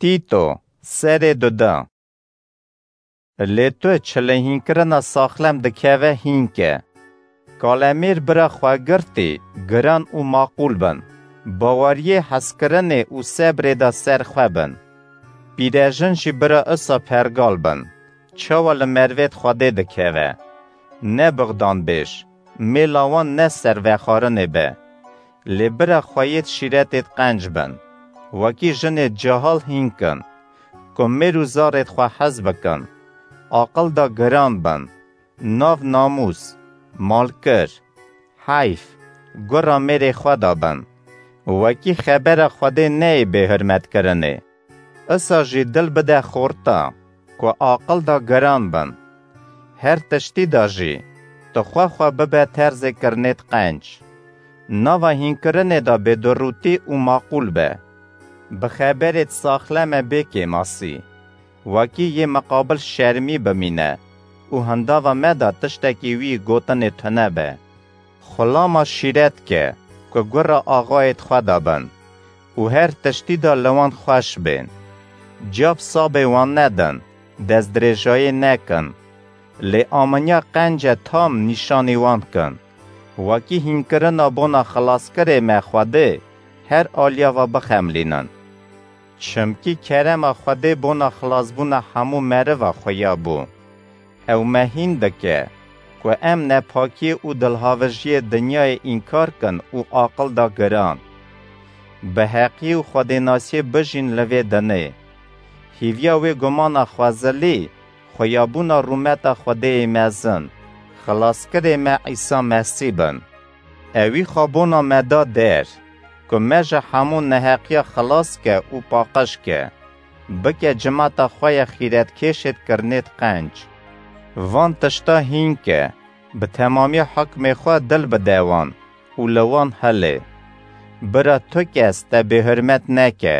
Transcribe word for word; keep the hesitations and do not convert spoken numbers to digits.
Tîto, serê duda. Lê tu çi li hînkirina saxlem dikeve hînke. Kalemêr bira xwe girtî, giran û maqûl bin. Baweriyê hezkirinê û sebrê de ser xwe bin. Pîrejin jî bira isa pergal bin. Çawa li mervêt Xwedê dikeve. Ne bixdan bêj, mêla wan ne ser vexwarinê be. Lê bira xweyêt şîretêt qenc bin. Wekî jinê cahal hînkin. Ku mêr û zarêt xwe hez bikin. Aqil da giran bin. Nav namûs, malkir, heyf, gura mêrê xwe da bin. Wekî xebera Xwedê neyê bêhurmetkirinê. Isa jî dil bide xorta, ku aqil da giran bin. Her tiştî de jî, tu xwe xwe bibe terzê kirinêt qenc. Nava hînkirinê de bêdurûtî û maqûl be. Bi xeberêt saxleme bê kêmasî. Wekî yê miqabil şermî bimîne û hindava me de tiştekî wî gotinê tune be. Xulama şîret ke, ku gura axayêt xwe de bin û her tiştî de li wan xweş bên. Cab sabê wan nedin, destdirêjayê nekin. Lê aminiya qence tam nîşanî wan kin. Wekî hînkirina bona xilaskirê me Xwedê her aliya ve bixemlînin. Çimkî kerema Xwedê bona xilasbûna hemû meriva xuya bû. Ew me hîn dike ku em nepakiyê û dilhavijiyê dinyayê înkar kin û aqil da giran. Bi heqî û xwedênasiyê bijîn li vê dinê. Hîviya wê gumana xwezilî, xuyabûna rûmeta Xwedêyê mezin, xilaskirê me Îsa Mesî bin. Ewî xwe bona me da der, ku me ji hemû neheqiya xilas ke û paqij ke. Bike cimata xwe ya xîretkêşêt kirinêt qenc. Van tişta hîn ke, bi temamiya hukmê xwe dil bide wan û li wan hilê. Bira tu kes te bêhurmet neke.